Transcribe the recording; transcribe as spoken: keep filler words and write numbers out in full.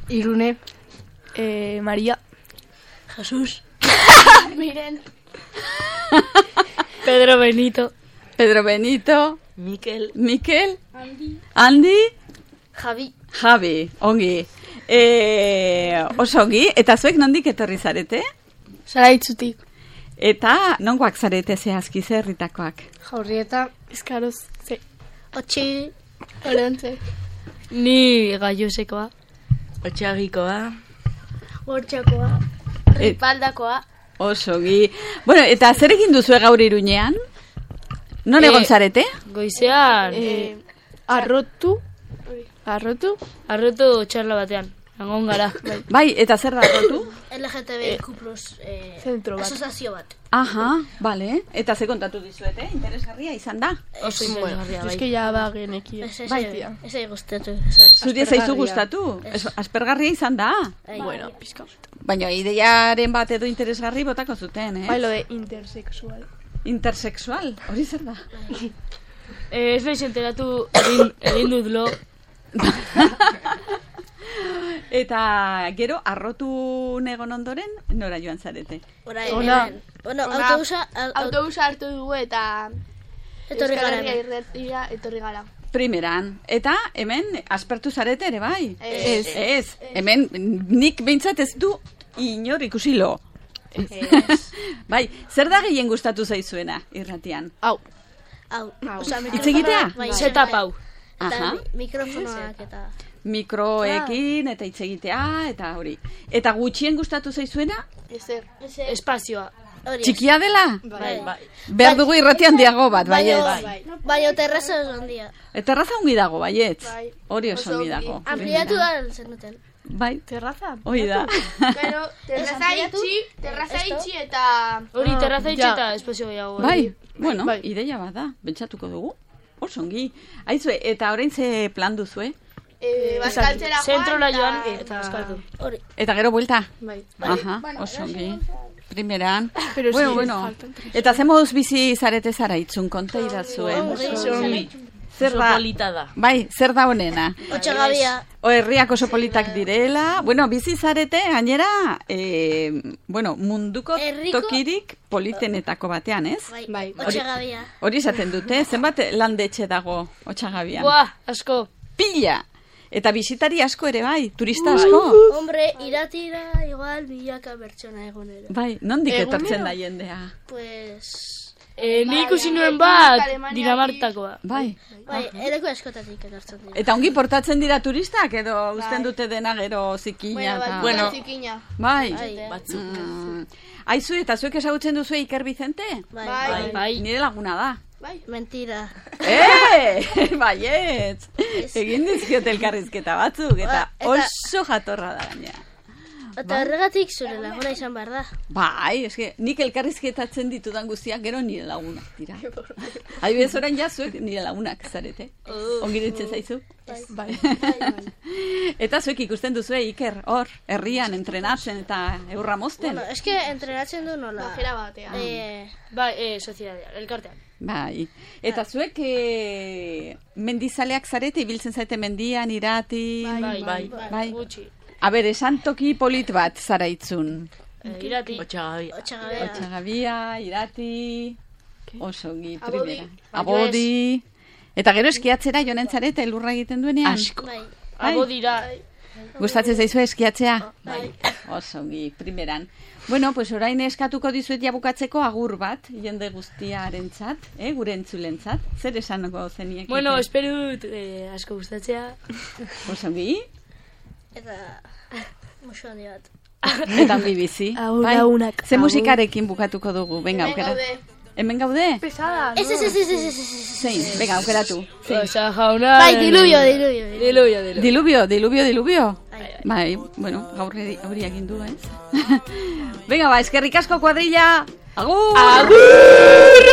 Irune. Eh, María. Jesús. Miren. Pedro Benito. Pedro Benito. Mikel. Mikel. Andi. Andi. Javi. Javi, ongi. E, oso ongi, eta zuek nondik etorri zarete? Zaraitzutik. Eta nongoak zarete zehazki zerritakoak? Jaurrieta. Eskaroz. Ze. Otsi. Oreontze. Ni Gaiosekoa. Otxagikoa. Gortxakoa. Et- Ripaldakoa. Oso ongi. Bueno, eta zer egin duzue gaur Iruñean? Non Eh, egon zarete? Goizean. Eh, arrotu. Arrotu. Arrotu txarla batean. Egon gara. Bai, eta zer da rotu? L G T B Q plus eh, Zentro bat. asozazio bat. Aha, bale. Eta ze kontatu dizuete? Interesgarria izan da? Oso interesgarria, bai. Eske ja ba genekien. Ez ez Bai. ez ez gustatu. Zuri ez zaizu gustatu? Ez- Aspergarria izan da? Bueno, pizka. Baina ideiaren bat edo interesgarri botako zuten, eh? Bai, lo de intersexual. Intersexual, hori zer da? Eh, ez naiz enteratu egin, egin dut lo. Eta gero, arrotu negon ondoren, nora joan zarete? Orai, Ona. hemen. Bueno, Ona. autobusa au- au- Autobusa hartu dugu eta etorri gara Euskal Herria hemen. irratira etorri gara. Primeran. Eta hemen aspertu zarete ere bai? Ez. Ez. Hemen nik behintzat ez du inor ikusi lo. Bai, zer da gehien gustatu zaizuena irratian? Hau. Hau, osea, Hitz egitea? bai, Zeta pau. Eta Aha. mi- mikrofonoak eta... Mikroekin eta hitz egitea eta hori. Eta gutxien gustatu zaizuena? Ezer. Espazioa. Hori ez. Txikia dela? Bai, bai. Behar dugu irratian diago bat, baiet. Baina, baina terraza oso handia. Eta erraza ongi dago, baiet. Bai. Hori oso Oso ongi ongi. dago. Ampliatu da zenuten. Bai, Terraza. hori da. Pero terraza ampliatu? itxi, terraza Esto? itxi eta... Hori terraza itxe ja. eta espazio gehiago. Bai, bueno, Bai. ideia bat da, bentsatuko dugu. Oso ongi. Aizue, eta orain ze plan duzue? Eh, bazkaltzera joan Zentrora joan eta... eta eskatu. Hori. Eta gero buelta? Bai. Aha, oso ongi. Primeran. Pero bueno, sí, bueno. faltan tres. Eta ze moduz bizi zarete zara itzun, konta idazuen. Zer Oso da? polita da. Bai, zer da honena? Otxagabia. O herriak oso politak direla. Bueno, bizi zarete, gainera, eh, bueno, munduko Herriko- tokirik politenetako batean, ez? Bai, Bai. otxagabia. Hori esaten dute, zenbat landetxe dago Otxagabian? Buah, asko. Pila! Eta bisitari asko ere bai, turista asko. Hombre, iratira igual milaka bertsona egunero. Bai, nondik Egunero? etortzen da jendea? Pues... Eh, ni ikusi nuen bat Alemaniatik. Dinamartakoa. Bai. Bai, eleku askotatik etortzen dira. Eta ongi portatzen dira turistak edo uzten dute dena gero zikina eta... Bueno, zikina. Bai. Bai, eh? Batzuk. Mm. Aizu, eta zuek ezagutzen duzu Iker Vicente? Bai, Bai. bai. Bai. Nire laguna da. Bai. Mentira. Eh, baietz. Egin dizkiot elkarrizketa batzuk, eta Ba, eta- oso jatorra da gainera. Eta horregatik zure laguna izan behar da. Bai, eske, nik elkarrizketatzen ditudan guztiak gero nire lagunak dira. Adibidez orain ja zuek nire lagunak zarete. Ongi ditzen zaizu? Bai. Eta zuek ikusten duzue Iker, hor, herrian entrenatzen eta eurra mozten. Bueno, eske entrenatzen du nola. Bajera batean. Eh, Bai, eh, sozialidad, elkartean. Bai. Eta zuek e, mendizaleak zarete, ibiltzen zaite mendian, irati... Bai, bai, Bai. gutxi. A ber, esan toki polit bat zara itzun. Eh, irati. otxagabea. Otxagabia, irati... Oso ongi, Abodi. primera. Abodi... Eta gero eskiatzera joanen zarete elurra egiten duenean? Asko. Bai, Abo dira. Gustatzen zaizue eskiatzea? bai. Oso ongi, primeran. Bueno, pues orain eskatuko dizuet jabukatzeko agur bat, jende guztiarentzat, eh, gure entzulentzat. Zer esango zeniek? Bueno, espero dut eh, asko gustatzea. Oso ongi, Eta... Musu handi bat. eta ongi bizi. Agur, bai? lagunak, Ze agur. musikarekin bukatuko dugu, venga, Hemen aukera. gaude. Hemen gaude? Pesada, Ez, ez, ez, ez, ez, ez, ez. Zein, venga, aukeratu. Osa jauna. Bai, diluvio, diluvio. diluvio. Diluvio, diluvio. Diluvio, diluvio, diluvio. Bai. Bai, bueno, gaur hori hori egin du, ez? Venga, ba, eskerrik asko kuadrilla. Agur! Agur!